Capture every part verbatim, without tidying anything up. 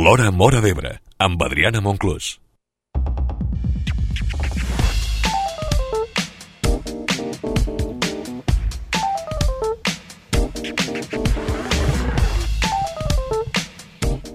L'Hora Móra d'Ebre, amb Adriana Monclús.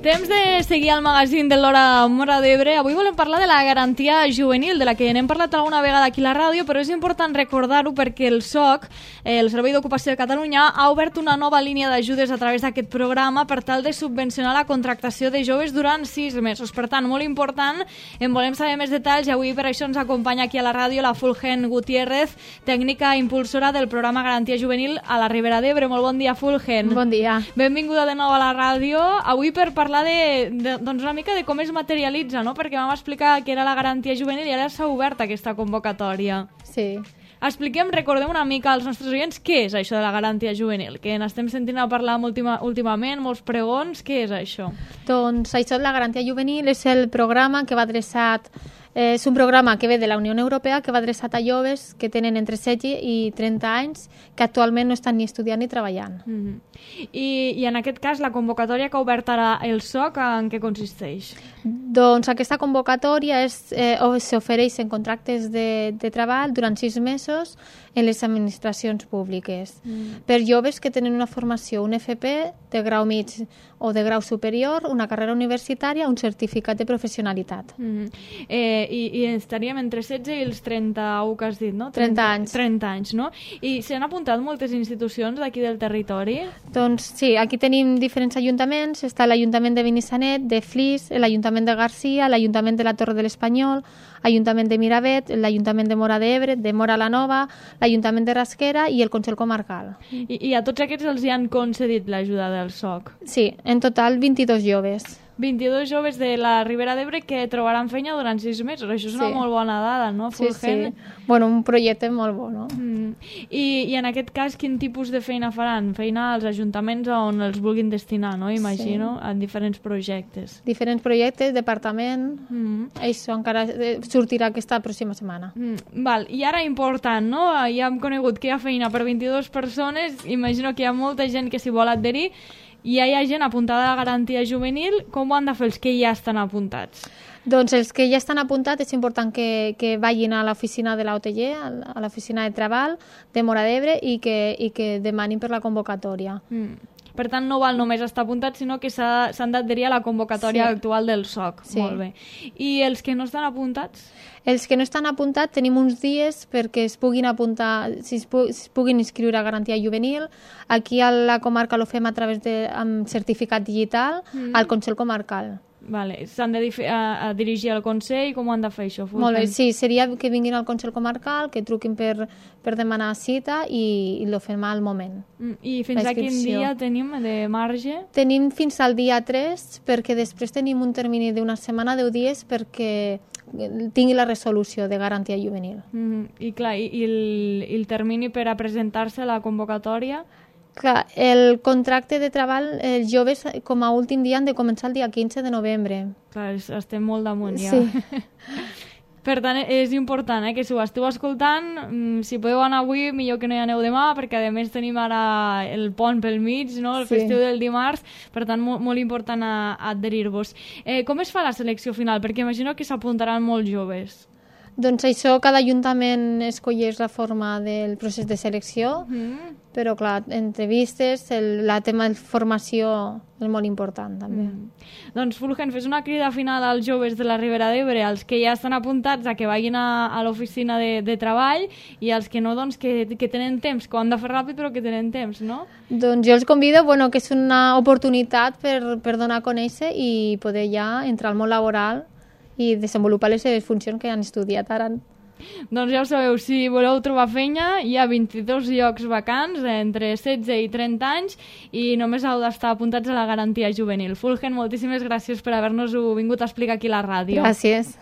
Temps de seguir al magazín de l'Hora Móra d'Ebre. Avui volem parlar de la garantia juvenil, de la que n'hem parlat alguna vegada aquí a la ràdio, però és important recordar-ho perquè el S O C, el Servei d'Ocupació de Catalunya, ha obert una nova línia d'ajudes a través d'aquest programa per tal de subvencionar la contractació de joves durant sis mesos. Per tant, molt important, en volem saber més detalls i avui per això ens acompanya aquí a la ràdio la Fulgen Gutiérrez, tècnica impulsora del programa Garantia Juvenil a la Ribera d'Ebre. Molt bon dia, Fulgen. Bon dia. Benvinguda de nou a la ràdio. Avui per parlar De, de, doncs una mica de com es materialitza, no? Perquè vam explicar que era la garantia juvenil i ara s'ha obert aquesta convocatòria. Sí. Expliquem, recordem una mica als nostres oients què és això de la garantia juvenil, que n'estem sentint a parlar última, últimament, molts pregons. Què és això? Doncs això de la garantia juvenil és el programa que va adreçat, eh, és un programa que ve de la Unió Europea que va adreçat a joves que tenen entre setze i trenta anys que actualment no estan ni estudiant ni treballant. Mm-hmm. I, I en aquest cas la convocatòria que ha obert ara el S O C en què consisteix? Doncs aquesta convocatòria és, eh, s'ofereix en contractes de, de treball durant sis mesos en les administracions públiques mm. per joves que tenen una formació, un F P de grau mig o de grau superior, una carrera universitària, un certificat de professionalitat. Mm. Eh, i, I estaríem entre setze i els trenta-u que has dit, no? trenta anys. trenta anys, no? I s'han apuntat moltes institucions d'aquí del territori? Doncs sí, aquí tenim diferents ajuntaments. Està l'Ajuntament de Benissanet, de Flix, l'Ajuntament de Garcia, l'Ajuntament de la Torre de l'Espanyol, l'Ajuntament de Miravet, l'Ajuntament de Móra d'Ebre, de Móra la Nova, l'Ajuntament de Rasquera i el Consell Comarcal. I, i a tots aquests els hi han concedit l'ajuda del S O C? Sí, en total vint-i-dos joves. vint-i-dos joves de la Ribera d'Ebre que trobaran feina durant sis mesos. Això és una sí. molt bona dada, no, Fulgen? Sí, sí. Bueno, un projecte molt bo, no? Mm. I, I en aquest cas, quin tipus de feina faran? Feina als ajuntaments on els vulguin destinar, no? Imagino, sí. en diferents projectes. Diferents projectes, departament... Mm. Això encara sortirà aquesta pròxima setmana. Mm. Val. I ara important, no? Ja hem conegut que hi ha feina per vint-i-dues persones. Imagino que hi ha molta gent que s'hi vol adherir. I ja hi ha gent apuntada a la garantia juvenil. Com ho han de fer els que ja estan apuntats? Doncs els que ja estan apuntats és important que, que vagin a l'oficina de l'O T G, a l'oficina de treball de Móra d'Ebre i que, i que demanin per la convocatòria. Mm. Per tant, no val només estar apuntats, sinó que s'han d'adherir a la convocatòria sí. actual del S O C. Sí. Molt bé. I els que no estan apuntats? Els que no estan apuntats tenim uns dies perquè es puguin apuntar, si es, pu si es puguin inscriure a garantia juvenil. Aquí a la comarca ho fem a través de amb certificat digital mm. al Consell Comarcal. Vale. S'han de a, a dirigir al Consell. Com ho han de fer això? Fulgen? Molt bé, sí, seria que vinguin al Consell Comarcal, que truquin per, per demanar cita i, i ho fem al moment. Mm. I fins a quin dia tenim de marge? Tenim fins al dia tres, perquè després tenim un termini d'una setmana, deu dies, perquè tingui la resolució de garantia juvenil. Mm. I clar, i, i, el, i el termini per a presentar-se a la convocatòria? Clar, el contracte de treball, els joves com a últim dia han de començar el dia quinze de novembre. Clar, estem molt damunt ja. Sí. Per tant, és important eh, que si ho esteu escoltant, si podeu anar avui, millor que no hi aneu demà, perquè a més tenim ara el pont pel mig, no? El sí. festiu del dimarts, per tant, molt, molt important a, a adherir-vos. Eh, com es fa la selecció final? Perquè imagino que s'apuntaran molts joves. Doncs això, cada ajuntament escolleix la forma del procés de selecció, mm. però clar, entrevistes, el, la tema de formació és molt important també. Mm. Doncs Fulgen, fes una crida final als joves de la Ribera d'Ebre, als que ja estan apuntats a que vagin a, a l'oficina de, de treball i als que no, doncs que, que tenen temps, que ho han de fer ràpid però que tenen temps, no? Doncs jo els convido, bueno, que és una oportunitat per, per donar a conèixer i poder ja entrar al món laboral i desenvolupar les seves funcions que han estudiat ara. Doncs ja ho sabeu, si voleu trobar feina, hi ha vint-i-dos llocs vacants entre setze i trenta anys i només heu d'estar apuntats a la garantia juvenil. Fulgen, moltíssimes gràcies per haver-nos-ho vingut a explicar aquí a la ràdio. Gràcies.